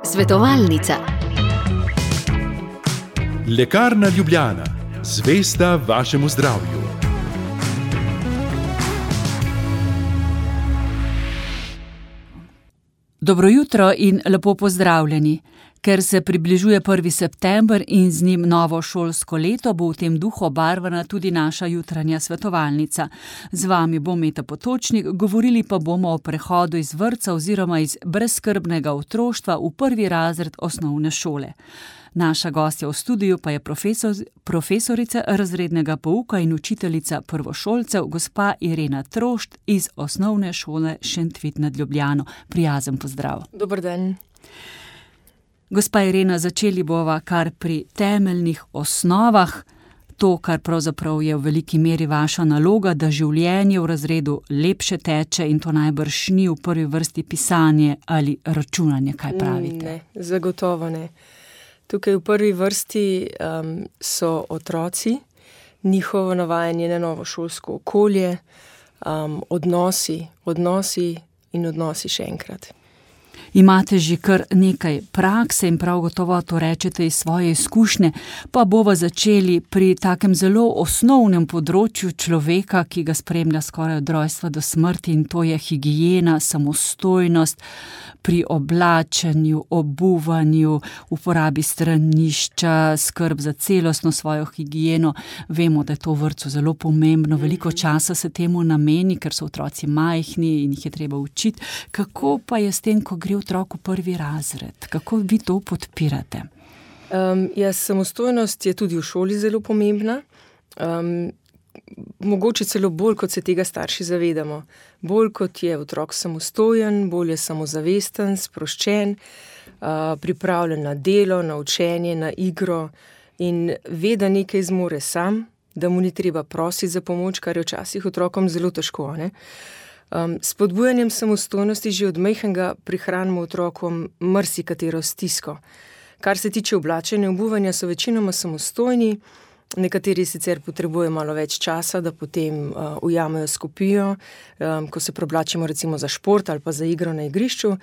Svetovalnica. Lekarna Ljubljana, zvesta vašemu zdravju. Dobro jutro in lepo pozdravljeni. Ker se približuje 1. september in z njim novo šolsko leto, bo v tem duhu obarvana tudi naša jutranja svetovalnica. Z vami bo Meta Potočnik, govorili pa bomo o prehodu iz vrtca oziroma iz brezskrbnega otroštva v 1. razred osnovne šole. Naša gostja v studiu pa je profesorica razrednega pouka in učiteljica prvošolcev, gospa Irena Trošt iz Osnovne šole Šentvid nad Ljubljano. Prijazen pozdrav. Dober dan. Gospa Irena, začeli bova kar pri temeljnih osnovah. To, kar pravzaprav je v veliki meri vaša naloga, da življenje v razredu lepše teče in to najbrž ni v prvi vrsti pisanje ali računanje, kaj pravite? Ne, zagotovo ne. Tukaj v prvi vrsti so otroci, njihovo navajanje na novo šolsko okolje, odnosi še enkrat. Imate že kar nekaj prakse in prav gotovo to rečete iz svoje izkušnje, pa bova začeli pri takem zelo osnovnem področju človeka, ki ga spremlja skoraj od rojstva do smrti, in to je higiena, samostojnost pri oblačenju, obuvanju, uporabi stranišča, skrb za celostno svojo higieno. Vemo, da je to v vrtcu zelo pomembno, veliko časa se temu nameni, ker so otroci majhni in jih je treba učiti. Kako pa je s tem, ko gre otrok v 1. razred? Kako vi to podpirate? Samostojnost je tudi v šoli zelo pomembna. Mogoče celo bolj, kot se tega starši zavedamo. Bolj, kot je otrok samostojen, bolj je samozavesten, sproščen, pripravljen na delo, na učenje, na igro in ve, da nekaj zmore sam, da mu ni treba prositi za pomoč, kar je včasih otrokom zelo težko, ne? S spodbujanjem samostojnosti že od majhnega prihranimo otrokom marsikatero stisko. Kar se tiče oblačenja in obuvanja, so večinoma samostojni, nekateri sicer potrebujejo malo več časa, da potem ujamejo skopijo, ko se preoblačimo recimo za šport ali pa za igro na igrišču,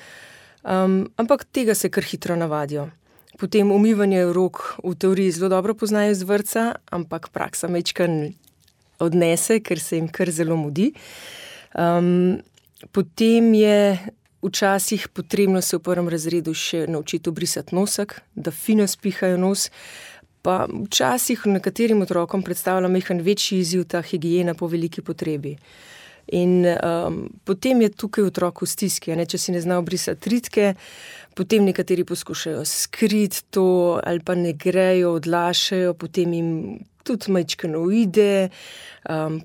ampak tega se kar hitro navadijo. Potem umivanje rok v teoriji zelo dobro poznajo iz vrtca, ampak praksa majčkeno odnese, ker se jim kar zelo mudi. Potem je včasih potrebno se v 1. razredu še naučiti obrisati nosek, da fino spihajo nos, pa včasih nekaterim otrokom predstavlja majhen večji izziv ta higiena po veliki potrebi. In potem je tukaj otrok v stiski, če si ne zna obrisati ritke, potem nekateri poskušajo skriti to ali pa ne grejo, odlašajo, potem jim tudi majčkeno uide,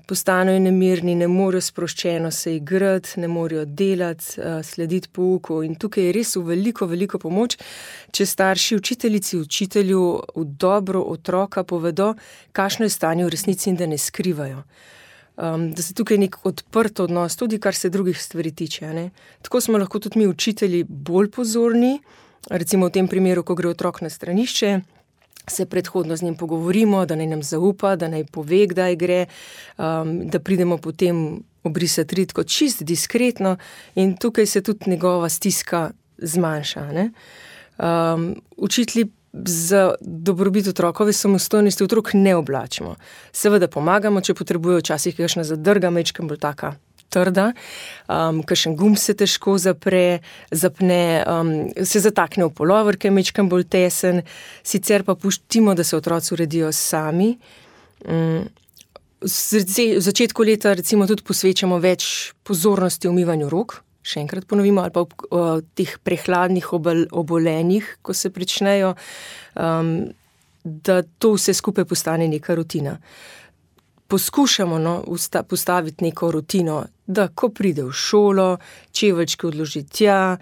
postanejo nemirni, ne morejo sproščeno se igrati, ne morejo delati, slediti pouku in tukaj je res v veliko pomoč, če starši, učiteljici, učitelju v dobro otroka povedo, kakšno je stanje v resnici in da ne skrivajo. Da se tukaj nek odprt odnos, tudi kar se drugih stvari tiče, ne? Tako smo lahko tudi mi učitelji bolj pozorni, recimo v tem primeru, ko gre otrok na stranišče, se predhodno z njim pogovorimo, da naj nam zaupa, da naj pove, kdaj gre, da pridemo potem obrisati ritko čisto diskretno in tukaj se tudi njegova stiska zmanjša, ne? Učitelji za dobrobit otrokove samostojnosti otrok ne oblačimo. Seveda pomagamo, če potrebujejo včasih kakšna zadrga, majčkeno bolj taka trda, kakšen gumb se težko zapne, se zatakne v pulover, ki je majčkeno bolj tesen, sicer pa pustimo, da se otroci uredijo sami. V začetku leta recimo tudi posvečamo več pozornosti umivanju rok, še enkrat ponovimo, ali pa teh prehladnih obolenjih, ko se pričnejo, da to vse skupaj postane neka rutina. Poskušamo postaviti neko rutino, da ko pride v šolo, čeveljčke odloži tja,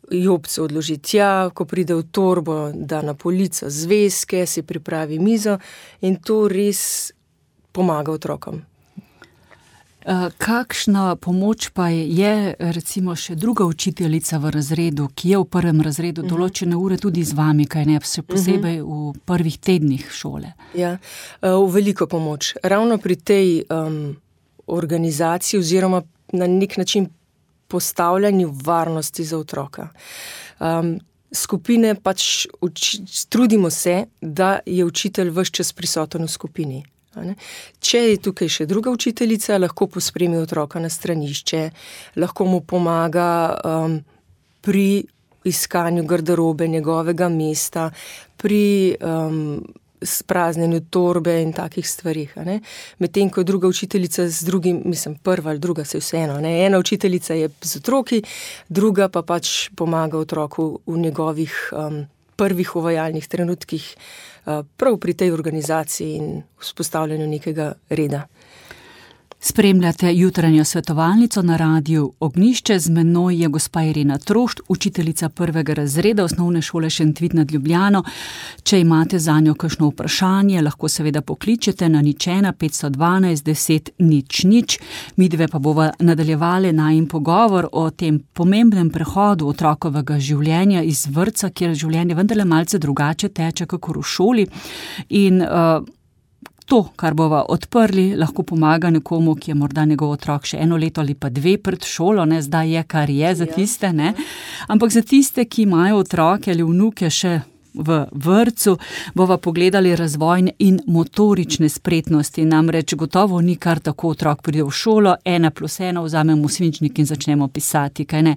jopce odloži tja, ko pride v torbo, da na polico zvezke, si pripravi mizo in to res pomaga otrokom. Kakšna pomoč pa je recimo še druga učiteljica v razredu, ki je v 1. razredu določene ure tudi z vami, kaj ne, še posebej v prvih tednih šole? Ja, v veliko pomoč. Ravno pri tej organizaciji oziroma na nek način vzpostavljanju varnosti za otroka. Skupine pač trudimo se, da je učitelj ves čas prisoten v skupini. Če je tukaj še druga učiteljica, lahko pospremi otroka na stranišče, lahko mu pomaga pri iskanju garderobe njegovega mesta, pri spraznjenju torbe in takih stvarih. Medtem ko druga učiteljica z drugim, prva ali druga, se vseeno. Ena učiteljica je z otroki, druga pa pač pomaga otroku v njegovih prvih uvajalnih trenutkih, prav pri tej organizaciji in vzpostavljanju nekega reda. Spremljate jutranjo svetovalnico na Radiu Ognjišče. Z menoj je gospa Irena Trošt, učiteljica 1. razreda Osnovne šole Šentvid nad Ljubljano. Če imate zanjo kakšno vprašanje, lahko seveda pokličete na 01 512 10 00. Midve pa bova nadaljevali najin pogovor o tem pomembnem prehodu otrokovega življenja iz vrtca, kjer življenje vendarle malce drugače teče kakor v šoli. In to, kar bova odprli, lahko pomaga nekomu, ki je morda njegov otrok še 1 leto ali pa 2 pred šolo, zdaj je, kar je za tiste, Ampak za tiste, ki imajo otroke ali vnuke še v vrtcu, bova pogledali razvojne in motorične spretnosti. Namreč gotovo ni kar tako, otrok pride v šolo, 1+1, vzamemo svinčnik in začnemo pisati, kaj ne?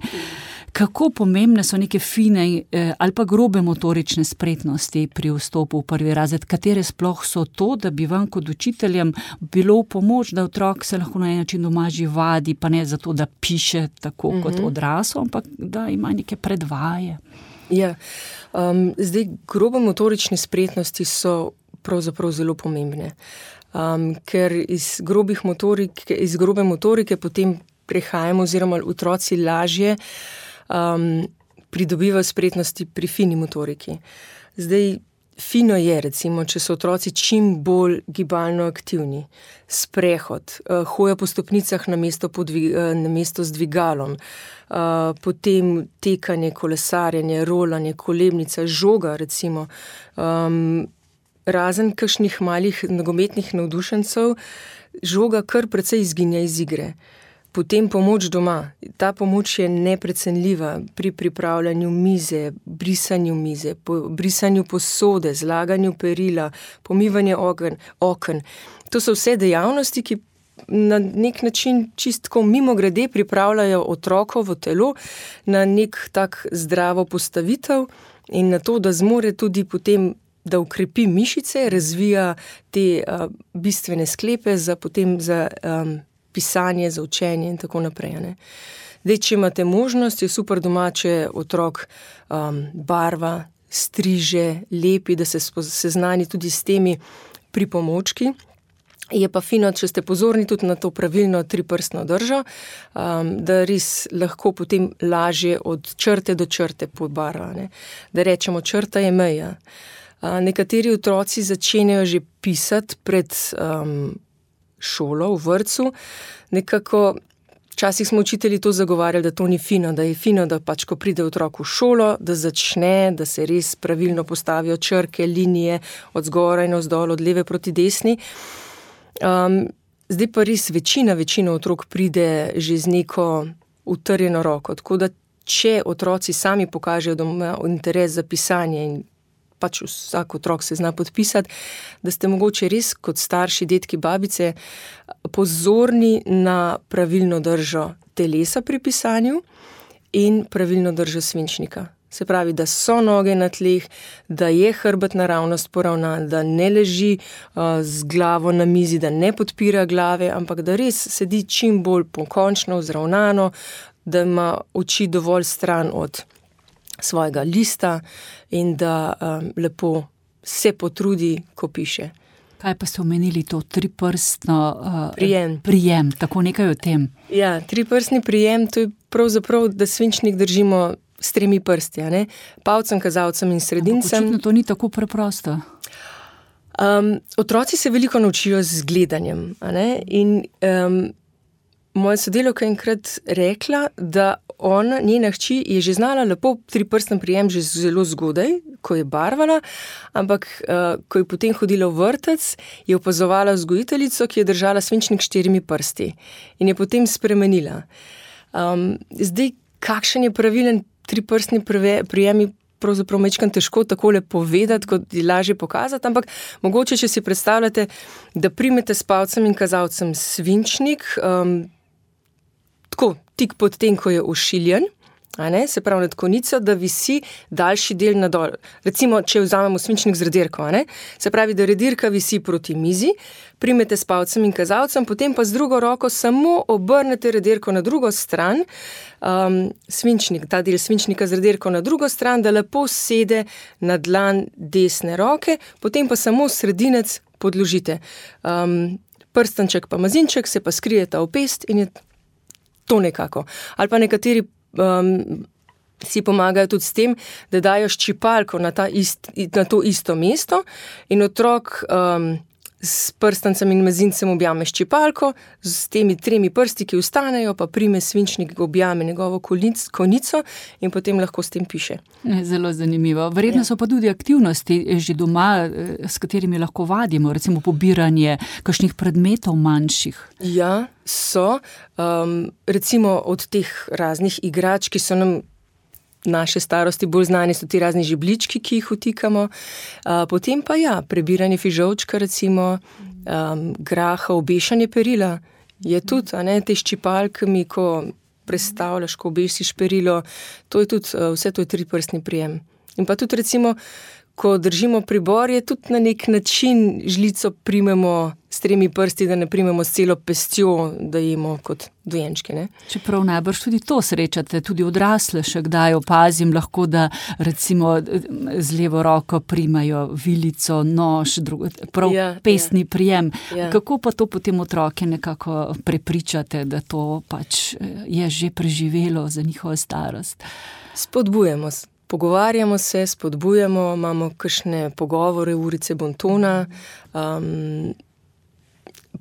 Kako pomembne so neke fine ali pa grobe motorične spretnosti pri vstopu v 1. razred? Katere sploh so to, da bi vam kot učiteljem bilo v pomoč, da otrok se lahko na en način doma že vadi, pa ne zato, da piše tako kot odrasel, ampak da ima neke predvaje? Ja, zdaj grobe motorične spretnosti so pravzaprav zelo pomembne, ker iz grobe motorike potem prehajamo oziroma otroci lažje pridobivajo spretnosti pri fini motoriki. Zdaj, fino je, recimo, če so otroci čim bolj gibalno aktivni, sprehod, hoja po stopnicah namesto z dvigalom, potem tekanje, kolesarjenje, rolanje, kolebnica, žoga, recimo, razen kakšnih malih nogometnih navdušencev, žoga kar precej izginja iz igre. Potem pomoč doma. Ta pomoč je neprecenljiva pri pripravljanju mize, brisanju mize, brisanju posode, zlaganju perila, pomivanju oken. To so vse dejavnosti, ki na nek način čistko mimogrede pripravljajo otrokovo telo na nek tak zdravo postavitev in na to, da zmore tudi potem, da ukrepi mišice, razvija te bistvene sklepe za pisanje, za učenje in tako naprej. Zdaj, če imate možnost, je super doma, če otrok barva, striže, lepi, da se seznani tudi s temi pripomočki. Je pa fino, če ste pozorni tudi na to pravilno 3-prstno držo, da res lahko potem lažje od črte do črte pobarva. Da rečemo, črta je meja. Nekateri otroci začenjajo že pisati pred šolo, v vrtcu. Nekako, včasih smo učitelji to zagovarjali, da to ni fino, da je fino, da pač, ko pride otrok v šolo, da začne, da se res pravilno postavijo črke, linije, od zgoraj navzdol, od leve proti desni. Zdaj pa res večina otrok pride že z neko utrjeno roko. Tako da, če otroci sami pokažejo, da imajo interes za pisanje in pač vsak otrok se zna podpisati, da ste mogoče res kot starši, dedki, babice pozorni na pravilno držo telesa pri pisanju in pravilno držo svinčnika. Se pravi, da so noge na tleh, da je hrbet naravnost poravnan, da ne leži z glavo na mizi, da ne podpira glave, ampak da res sedi čim bolj pokončno, vzravnano, da ima oči dovolj stran od svojega lista in da lepo se potrudi, ko piše. Kaj pa ste omenili to 3-prstno prijem? Tako nekaj o tem. Ja, 3-prstni prijem, to je pravzaprav, da svinčnik držimo s 3 prsti, palcem, kazalcem in sredincem. Očitno to ni tako preprosto. Otroci se veliko naučijo z gledanjem, in moja sodelavka je enkrat rekla, da njena hči je že znala lepo 3-prsten prijem že zelo zgodaj, ko je barvala, ampak ko je potem hodila v vrtec, je opazovala vzgojiteljico, ki je držala svinčnik s 4 prsti in je potem spremenila. Zdaj, kakšen je pravilen triprstni prijem, pravzaprav mečkam težko takole povedati, kot je lažje pokazati, ampak mogoče, če si predstavljate, da primete s palcem in kazalcem svinčnik, tako, tik pod tem, ko je ošiljen, se pravi nad konico, da visi daljši del nadol. Recimo, če vzamemo svinčnik z redirko, se pravi, da redirka visi proti mizi, primete s palcem in kazalcem, potem pa z drugo roko samo obrnete redirko na drugo stran, ta del svinčnika z redirko na drugo stran, da lepo sede na dlan desne roke, potem pa samo sredinec podložite. Prstanček pa mazinček se pa skrijeta v pest in je to nekako. Ali pa nekateri si pomagajo tudi s tem, da dajo ščipalko na to isto mesto in otrok s prstancem in mezincem objame ščipalko, s temi 3 prsti, ki ostanejo, pa prime svinčnik, objame njegovo konico in potem lahko s tem piše. Zelo zanimivo. Verjetno so pa tudi aktivnosti že doma, s katerimi lahko vadimo, recimo pobiranje kakšnih predmetov manjših. Ja, so. Recimo od teh raznih igrač, ki so nam naše starosti bolj znani, so ti razni žeblički, ki jih vtikamo. Potem pa prebiranje fižolčka, recimo, graha, obešanje perila je tudi, te ščipalkami, ko prestavljaš, ko obesiš perilo, to je tudi, vse to je triprstni prijem. In pa tudi recimo, ko držimo pribor, je tudi na nek način žlico primemo s 3 prsti, da ne primemo s celo pestjo, da jemo kot dojenčki, Čeprav najbrž tudi to srečate, tudi odrasle še kdaj opazim lahko, da recimo z levo roko primajo vilico, nož, pestni prijem. Kako pa to potem otroke nekako prepričate, da to pač je že preživelo za njihovo starost? Spodbujamo se. Pogovarjamo se, spodbujamo, imamo kakšne pogovore, urice bontona,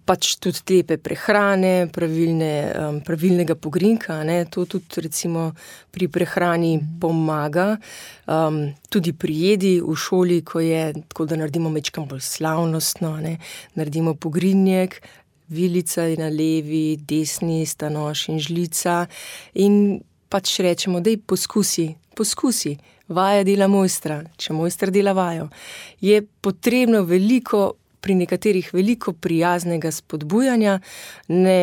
pač tudi lepe prehrane, pravilnega pogrinka, to tudi recimo pri prehrani pomaga, tudi pri jedi v šoli, ko je, tako da naredimo mečkam bolj slavnostno, naredimo pogrinjek, vilica je na levi, desni sta nož in žlica in pač rečemo, daj poskusi, vaja dela mojstra, če mojster dela vajo. Je potrebno pri nekaterih veliko prijaznega spodbujanja, ne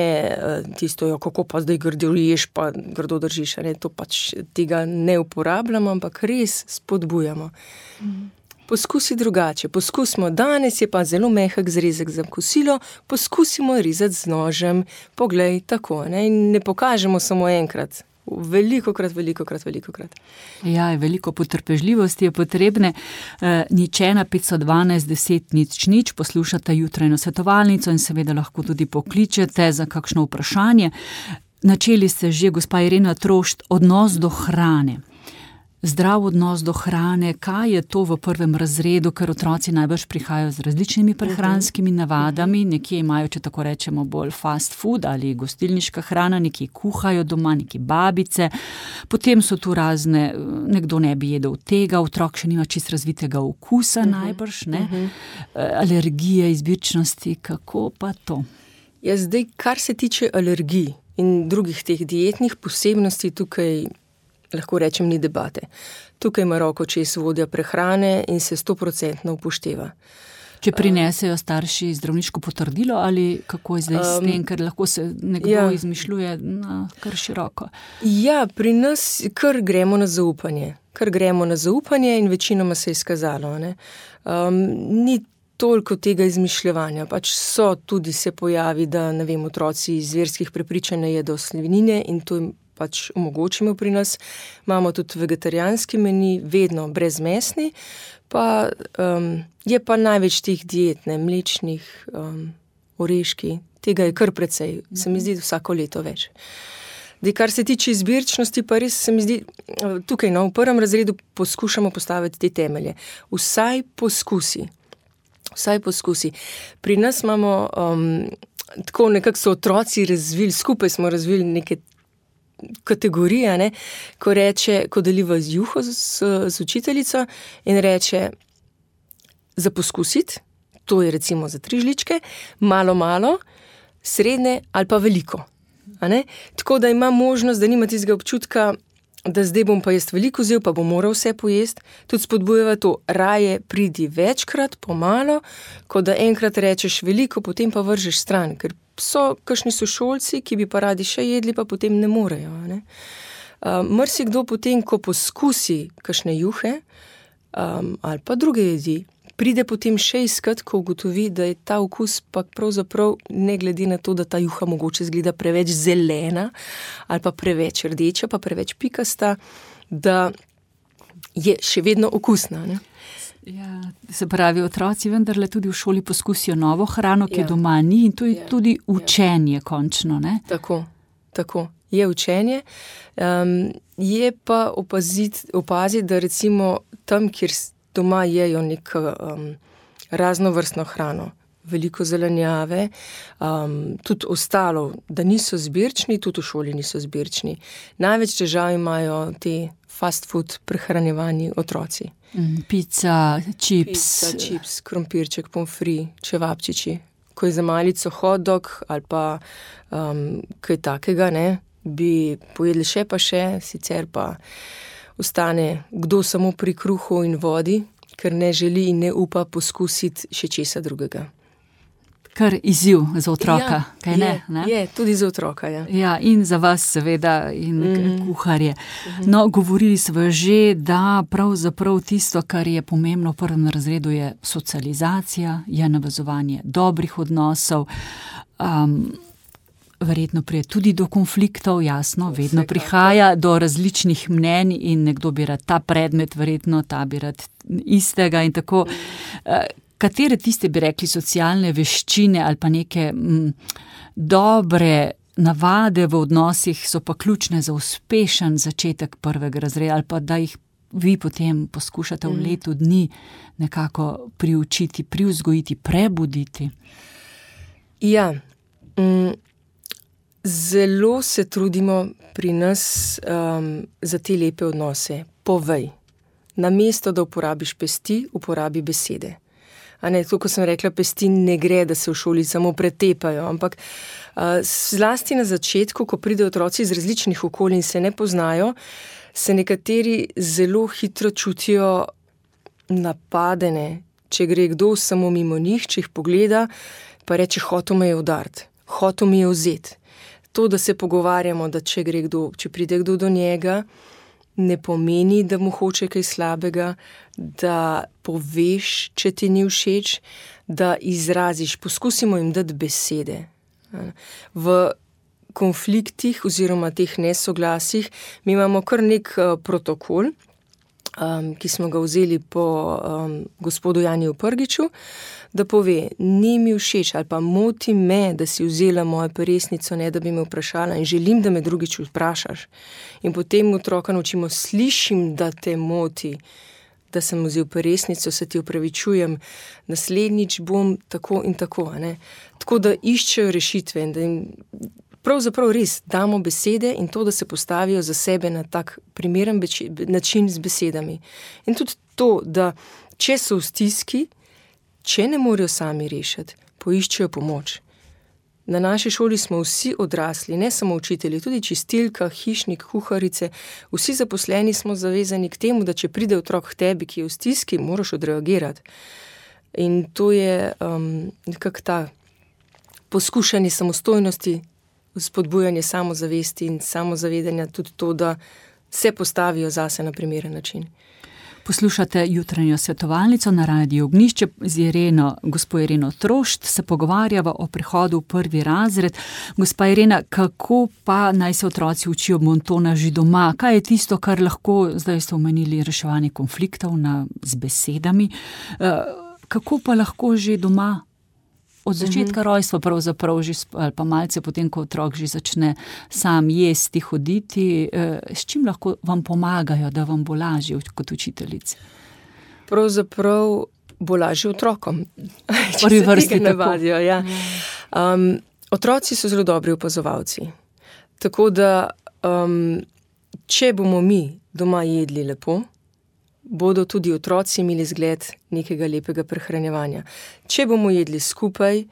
tisto, kako pa zdaj grdo ješ, pa grdo držiš, to pač tega ne uporabljamo, ampak res spodbujamo. Poskusi drugače, poskusimo, danes je pa zelo mehek zrezek za kosilo, poskusimo rezati z nožem, poglej, tako, in ne pokažemo samo enkrat. Velikokrat. Ja, veliko potrpežljivosti je potrebne. Nič 1 512 10 00, poslušate jutranjo svetovalnico in seveda lahko tudi pokličete za kakšno vprašanje. Načeli ste že, gospa Irena Trošt, odnos do hrane. Zdrav odnos do hrane, kaj je to v 1. razredu, ker otroci najbrž prihajajo z različnimi prehranskimi navadami, nekje imajo, če tako rečemo, bolj fast food ali gostilniška hrana, nekje kuhajo doma, nekje babice, potem so tu razne, nekdo ne bi jedel tega, otrok še nima čist razvitega okusa najbrž, alergije, izbirčnosti, kako pa to? Ja, zdaj, kar se tiče alergij in drugih teh dietnih posebnosti, tukaj lahko rečem, ni debate. Tukaj ima roko čez vodja prehrane in se 100% upošteva. Če prinesejo starši zdravniško potrdilo ali kako je zdaj s tem, ker lahko se nekdo izmišljuje kar široko? Ja, pri nas kar gremo na zaupanje. In večinoma se je izkazalo. Ni toliko tega izmišljevanja. Pač tudi se pojavi, da otroci iz verskih prepričanj ne jedo svinjine in to pač omogočimo pri nas. Imamo tudi vegetarijanski meni, vedno brezmesni, pa je pa največ teh diet, mlečnih, oreški, tega je kar precej, se mi zdi vsako leto več. Kar se tiče izbirčnosti, pa res se mi zdi, tukaj v 1. razredu poskušamo postaviti te temelje. Vsaj poskusi. Pri nas imamo, tako nekako so otroci razvili, skupaj smo razvili neke kategorije, ko deliva z juho z učiteljico in reče za poskusiti, to je recimo za 3 žličke, malo, srednje ali pa veliko. A ne? Tako da ima možnost, da nima tistega občutka, da zdaj bom pa jaz veliko vzel, pa bom moral vse pojesti. Tudi spodbujava to, raje pridi večkrat, pomalo, kot da enkrat rečeš veliko, potem pa vržeš stran, ker so kakšni sošolci, ki bi pa radi še jedli, pa potem ne morejo. Ne? Marsikdo potem, ko poskusi kakšne juhe ali pa druge jedi, pride potem še iskat, ko ugotovi, da je ta okus pa pravzaprav, ne glede na to, da ta juha mogoče izgleda preveč zelena ali pa preveč rdeča, pa preveč pikasta, da je še vedno okusna. Ne? Ja, se pravi, otroci vendarle tudi v šoli poskusijo novo hrano, ki doma ni, in to je tudi učenje končno, ne? Tako. Je učenje. Je pa opaziti, da recimo tam, kjer doma jejo neko raznovrstno hrano, veliko zelenjave, tudi ostalo, da niso zbirčni, tudi v šoli niso zbirčni. Največ težav imajo te fast food prehranjevani otroci. Pica, čips, krompirček, pomfri, čevapčiči. Ko je za malico hot dog ali pa kaj takega, ne, bi pojedli še pa še, sicer pa ostane kdo samo pri kruhu in vodi, ker ne želi in ne upa poskusiti še česa drugega. Kar izziv za otroka, kaj ne? Je, tudi za otroka, ja. Ja, in za vas seveda, in kuharje. No, govorili smo že, da pravzaprav tisto, kar je pomembno v prvem razredu, je socializacija, je navezovanje dobrih odnosov, verjetno prije tudi do konfliktov, jasno, vedno prihaja do različnih mnenj in nekdo bi rad ta predmet, verjetno ta bi rad istega in tako. Katere tiste bi rekli socialne veščine ali pa neke dobre navade v odnosih so pa ključne za uspešen začetek prvega razreda ali pa da jih vi potem poskušate v letu dni nekako priučiti, privzgojiti, prebuditi? Ja, zelo se trudimo pri nas za te lepe odnose. Povej. Namesto, da uporabiš pesti, uporabi besede. A ne, to, ko sem rekla, pesti ne gre, da se v šoli samo pretepajo, ampak zlasti na začetku, ko pridejo otroci iz različnih okolij in se ne poznajo, se nekateri zelo hitro čutijo napadene, če gre kdo samo mimo njih, če jih pogleda, pa reče, hotel me je udariti, hotel mi je vzeti. To, da se pogovarjamo, da če pride kdo do njega, ne pomeni, da mu hoče kaj slabega, da poveš, če ti ni všeč, da izraziš, poskusimo jim dati besede. V konfliktih oziroma teh nesoglasjih mi imamo kar nek protokol, ki smo ga vzeli po gospodu Janiju Prgiču, da pove, ni mi všeč ali pa moti me, da si vzela mojo peresnico, ne da bi me vprašala in želim, da me drugič vprašaš. In potem otroka naučimo, slišim, da te moti, da sem vzel peresnico, se ti opravičujem, naslednjič bom tako in tako. Ne? Tako da iščejo rešitve in da jim pravzaprav res damo besede in to, da se postavijo za sebe na tak primeren način z besedami. In tudi to, da če so v stiski, če ne morejo sami rešiti, poiščejo pomoč. Na naši šoli smo vsi odrasli, ne samo učitelji, tudi čistilka, hišnik, kuharice, vsi zaposleni smo zavezani k temu, da če pride otrok k tebi, ki je v stiski, moraš odreagirati. In to je nekako ta poskušanje samostojnosti, spodbujanje samozavesti in samozavedanja, tudi to, da se postavijo zase na primeren način. Poslušate jutranjo svetovalnico na Radiu Ognjišče z gospo Ireno Trošt, se pogovarjava o prihodu v prvi razred. Gospa Irena, kako pa naj se otroci učijo bontona že doma? Kaj je tisto, kar lahko, zdaj ste omenili reševanje konfliktov z besedami, kako pa lahko že doma? Od začetka rojstva pravzaprav že, ali pa malce potem, ko otrok že začne sam jesti, hoditi, s čim lahko vam pomagajo, da vam bo lažje kot učiteljici? Pravzaprav bo lažje otrokom, če se tega navadijo. Ja. Otroci so zelo dobri opazovalci. Tako da, če bomo mi doma jedli lepo, bodo tudi otroci imeli zgled nekega lepega prehranjevanja. Če bomo jedli skupaj,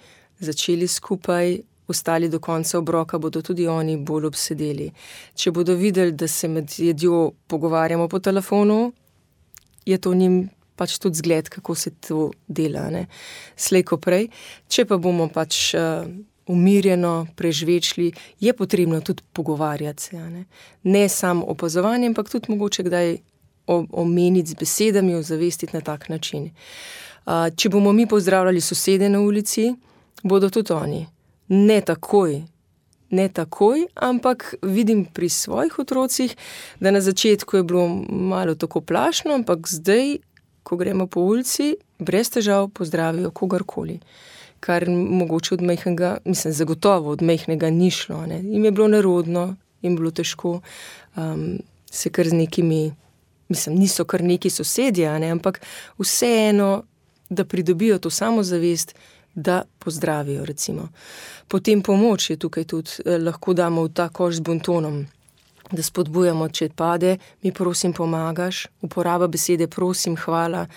začeli skupaj, ostali do konca obroka, bodo tudi oni bolj obsedeli. Če bodo videli, da se med jedjo pogovarjamo po telefonu, je to njim pač tudi zgled, kako se to dela, ne? Slej ko prej. Če pa bomo pač umirjeno prežvečili, je potrebno tudi pogovarjati se, ne samo opazovanje, ampak tudi mogoče kdaj omeniti z besedami, ozavestiti na tak način. Če bomo mi pozdravljali sosede na ulici, bodo tudi oni. Ne takoj, ampak vidim pri svojih otrocih, da na začetku je bilo malo tako plašno, ampak zdaj, ko gremo po ulici, brez težav pozdravijo kogarkoli. Kar mogoče od majhnega, zagotovo od majhnega ni šlo, ne. Jim je bilo nerodno, jim je bilo težko, se kar z nekimi, niso kar neki sosedje, ne, ampak vseeno, da pridobijo to samozavest, da pozdravijo, recimo. Potem pomoč je tukaj tudi, lahko damo v ta koš z bontonom, da spodbujamo, če pade, mi prosim pomagaš, uporaba besede prosim, hvala,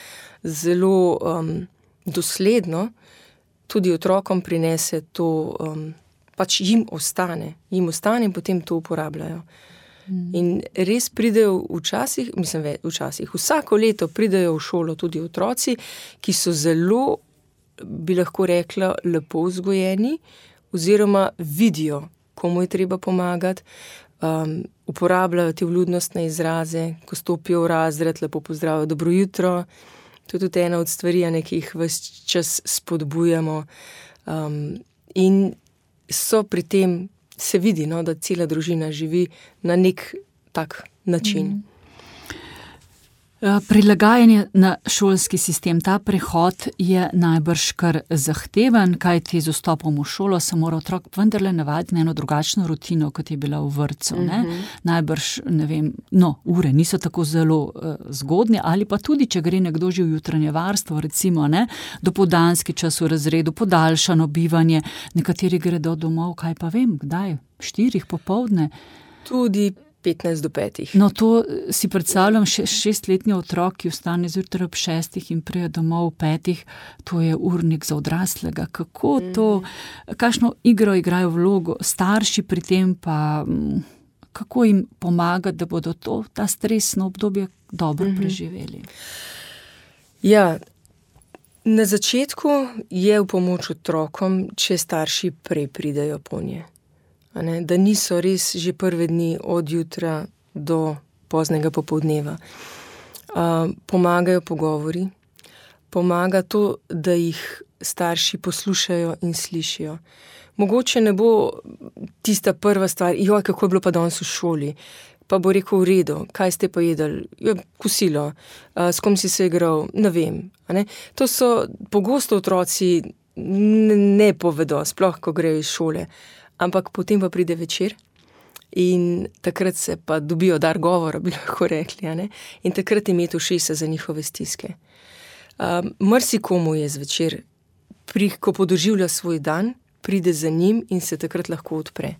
zelo dosledno, tudi otrokom prinese to, pač jim ostane in potem to uporabljajo. In res pridejo včasih, vsako leto pridejo v šolo tudi otroci, ki so zelo, bi lahko rekla, lepo vzgojeni, oziroma vidijo, komu je treba pomagati, uporabljajo te vljudnostne izraze, ko stopijo v razred, lepo pozdravijo, dobro jutro. To je tudi ena od stvari, ki jih ves čas spodbujamo. In so pri tem, se vidi, no, da cela družina živi na nek tak način. Prilagajanje na šolski sistem, ta prehod je najbrž kar zahteven, kajti z vstopom v šolo se mora otrok vendarle navaditi na eno drugačno rutino, kot je bila v vrtcu, ne? Najbrž, ne vem, ure niso tako zelo zgodnje, ali pa tudi, če gre nekdo že v jutranje varstvo, recimo, ne, dopoldanski čas v razredu, podaljšano bivanje, nekateri gredo domov, kaj pa vem, kdaj, 4 popoldne. Tudi 15 do 5. No, to si predstavljam, 6-letni otrok, ki vstane zjutraj ob 6 in pride domov ob 5, to je urnik za odraslega. Kako to, kakšno igro igrajo vlogo starši pri tem, pa kako jim pomagati, da bodo ta stresno obdobje dobro preživeli? Ja, na začetku je v pomoč otrokom, če starši prej pridejo po nje. Da niso res že prve dni od jutra do poznega popoldneva. Pomagajo pogovori, pomaga to, da jih starši poslušajo in slišijo. Mogoče ne bo tista prva stvar, kako je bilo pa danes v šoli, pa bo rekel v redu, kaj ste pa jedli, kosilo, s kom si se igral, ne vem. To so pogosto otroci ne povedo, sploh ko grejo iz šole. Ampak potem pa pride večer in takrat se pa dobijo dar govora, bi lahko rekli, in takrat imeti ušesa za njihove stiske. Marsikomu je zvečer, ko podoživlja svoj dan, pride za njim in se takrat lahko odpre.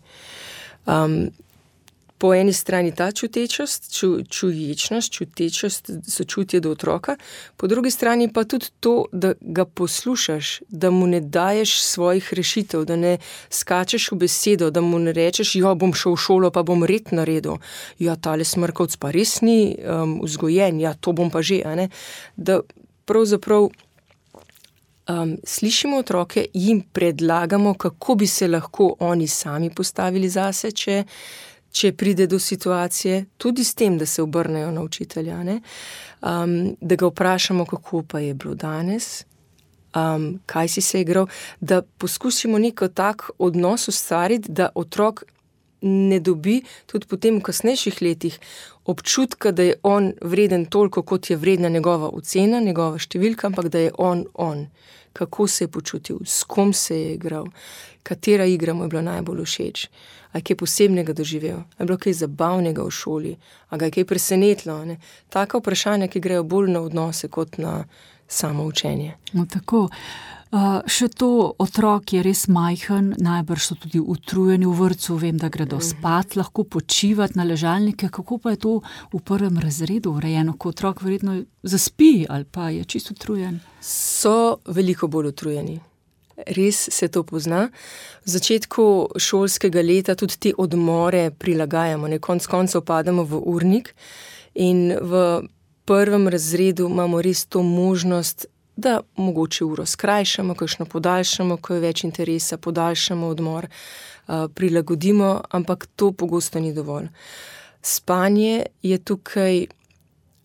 Po eni strani ta čutečost, čuječnost, čutečost, sočutje do otroka, po drugi strani pa tudi to, da ga poslušaš, da mu ne daješ svojih rešitev, da ne skačeš v besedo, da mu ne rečeš, bom šel v šolo, pa bom red naredil, tale smrkovc pa res ni vzgojen, to bom pa že, da pravzaprav slišimo otroke, jim predlagamo, kako bi se lahko oni sami postavili zase, če pride do situacije, tudi s tem, da se obrnejo na učitelja, da ga vprašamo, kako pa je bilo danes, kaj si se igral, da poskusimo neko tak odnos ustvariti, da otrok ne dobi tudi potem v kasnejših letih občutka, da je on vreden toliko, kot je vredna njegova ocena, njegova številka, ampak da je on. Kako se je počutil, s kom se je igral, katera igra mu je bila najbolj všeč, a je kaj posebnega doživel, a je bilo kaj zabavnega v šoli, a ga je kaj presenetilo. Taka vprašanja, ki grejo bolj na odnose kot na samo učenje. No, tako. Še to, otrok je res majhen, najbrž so tudi utrujeni v vrtcu, vem, da gredo spat, lahko počivati na ležalnike. Kako pa je to v prvem razredu urejeno, ko otrok verjetno zaspi ali pa je čisto utrujen? So veliko bolj utrujeni. res se to pozna. V začetku šolskega leta tudi te odmore prilagajamo, konec koncev pademo v urnik in v prvem razredu imamo res to možnost, da mogoče uro skrajšamo, kakšno podaljšamo, ko je več interesa, podaljšamo odmor, prilagodimo, ampak to pogosto ni dovolj. Spanje je tukaj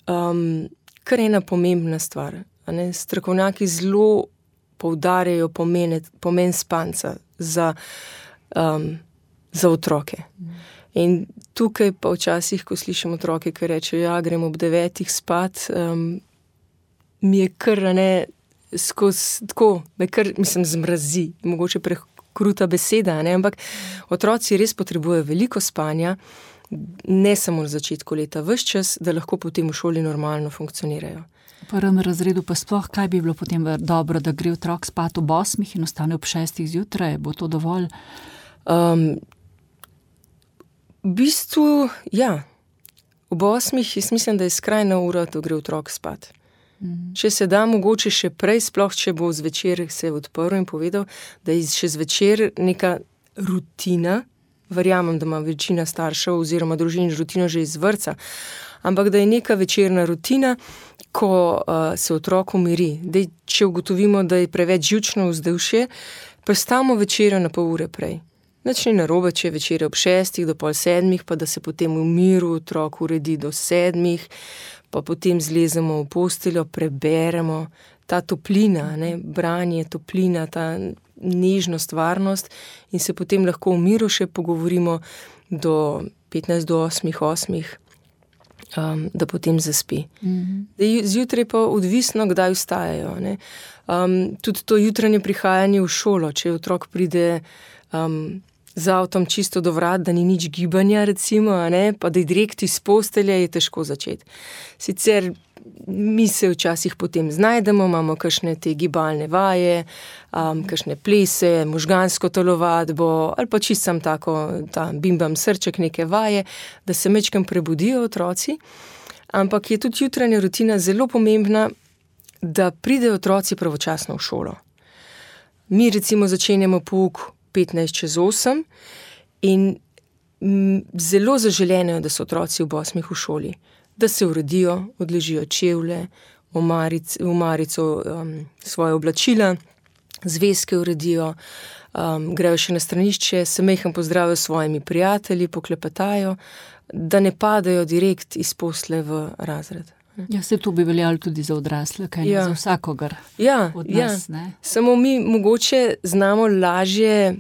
kar ena pomembna stvar. Strokovnjaki zelo poudarjajo pomen spanca za otroke. In tukaj pa včasih, ko slišim otroke, ki rečejo, ja, grem ob 9 spat, mi je kar skozi tako, me kar, zmrazi, mogoče prekruta beseda, ampak otroci res potrebujejo veliko spanja, ne samo na začetku leta, ves čas, da lahko potem v šoli normalno funkcionirajo. V prvem razredu pa sploh, kaj bi bilo potem dobro, da gre otrok spat ob 8 in ostane ob 6 zjutraj, bo to dovolj? V bistvu, ja, ob 8 jaz mislim, da je skrajna ura, da gre otrok spat. Če se da mogoče še prej, sploh če bo zvečer se odprl in povedal, da je še zvečer neka rutina, verjamem, da ima večina staršev oziroma družin rutino že iz vrtca, ampak da je neka večerna rutina, ko se otrok umiri. Če ugotovimo, da je preveč živčno vzdušje, prestavimo večerjo na pol ure prej. Nič ni narobe, če je večerja ob 6 do pol 7, pa da se potem v miru otrok uredi do 7, pa potem zlezemo v posteljo, preberemo, ta toplina, branje, toplina, ta nežnost, varnost in se potem lahko v miru še pogovorimo do 15 do 8, da potem zaspi. Zjutraj pa odvisno, kdaj vstajajo. Tudi to jutranje prihajanje v šolo, če otrok pride z avtom čisto do vrat, da ni nič gibanja, recimo, pa da je direkt iz postelje, je težko začeti. Sicer mi se včasih potem znajdemo, imamo kakšne te gibalne vaje, kakšne plese, možgansko telovadbo, ali pa čisto sam tako, ta bimbam srček, neke vaje, da se majčkeno prebudijo otroci. Ampak je tudi jutranja rutina zelo pomembna, da pridejo otroci pravočasno v šolo. Mi recimo začenjamo pouk 7:45 in zelo zaželeno je, da so otroci ob 8 v šoli, da se uredijo, odležijo čevlje, v marico svoje oblačila, zvezke uredijo, grejo še na stranišče, se majhen pozdravijo s svojimi prijatelji, poklepetajo, da ne padajo direkt iz posle v razred. Ja, se to bi veljalo tudi za odrasle, kaj ne za vsakogar od nas. Ne? Samo mi mogoče znamo lažje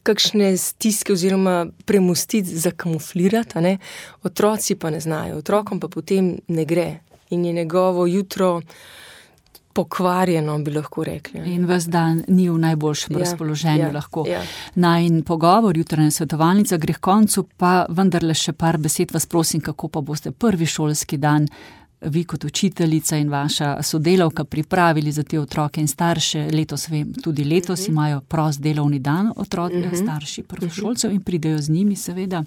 kakšne stiske oziroma premustiti, zakamuflirati, otroci pa ne znajo, otrokom pa potem ne gre in je njegovo jutro pokvarjeno, bi lahko rekli. In ves dan ni v najboljšem razpoloženju lahko. Najin pogovor, jutranja svetovalnica gre k koncu, pa vendarle še par besed vas prosim, kako pa boste prvi šolski dan vi kot učiteljica in vaša sodelavka pripravili za te otroke in starše. Letos vem, tudi letos imajo prost delovni dan otroci, starši prvošolcev in pridejo z njimi seveda.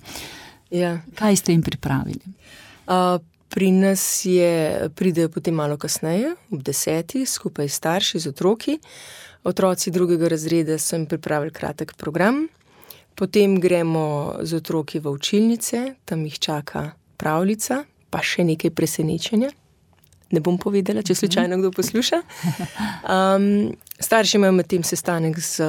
Kaj ste jim pripravili? Pri nas pridejo potem malo kasneje, ob 10, skupaj s starši, z otroki. Otroci 2. razreda so jim pripravili kratek program. Potem gremo z otroki v učilnice, tam jih čaka pravljica, pa še nekaj presenečenja. Ne bom povedala, če slučajno kdo posluša. Starši imajo med tem sestanek z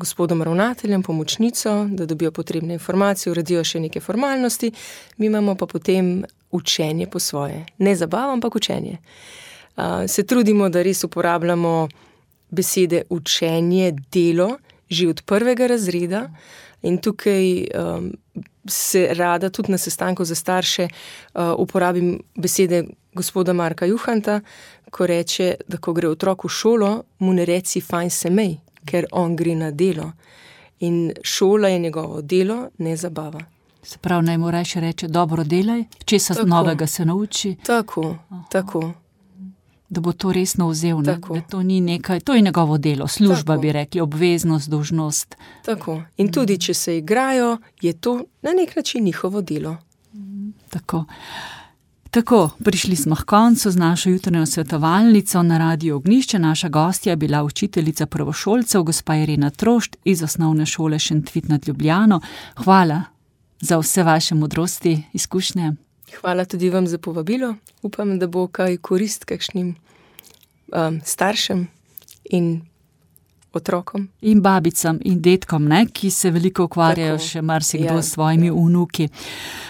gospodom ravnateljem, pomočnico, da dobijo potrebne informacije, uredijo še neke formalnosti, mi imamo pa potem učenje po svoje. Ne zabava, ampak učenje. Se trudimo, da res uporabljamo besede učenje, delo, že od 1. razreda in tukaj se rada tudi na sestanku za starše uporabim besede gospoda Marka Juhanta, ko reče, da ko gre otrok v šolo, mu ne reci fajn se mej, ker on gre na delo. In šola je njegovo delo, ne zabava. Se pravi, naj mu rajši reče, dobro delaj, česa novega se nauči. Tako. Da bo to resno vzel, da to ni nekaj, to je njegovo delo, služba bi rekli, obveznost, dolžnost. Tako. In tudi, če se igrajo, je to na nek način njihovo delo. Tako. Tako, prišli smo k koncu z našo jutranjo svetovalnico na Radiu Ognjišče. Naša gostja je bila učiteljica prvošolcev, gospa Irena Trošt iz Osnovne šole Šentvit nad Ljubljano. Hvala za vse vaše modrosti, izkušnje. Hvala tudi vam za povabilo. Upam, da bo kaj korist kakšnim staršem in otrokom. In babicam in detkom, ki se veliko ukvarjajo še marsikdo s svojimi vnuki.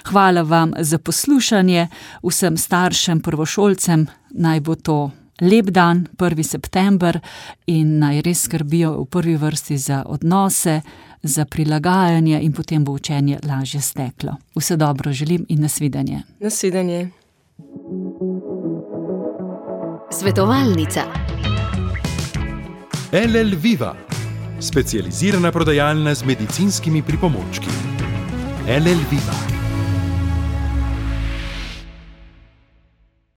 Hvala vam za poslušanje, vsem staršem, prvošolcem, naj bo to lep dan, 1. september, in naj res skrbijo v prvi vrsti za odnose, za prilagajanje in potem bo učenje lažje steklo. Vse dobro želim in nasvidenje. Nasvidenje. Svetovalnica. LL Viva, specializirana prodajalna z medicinskimi pripomočki. LL Viva.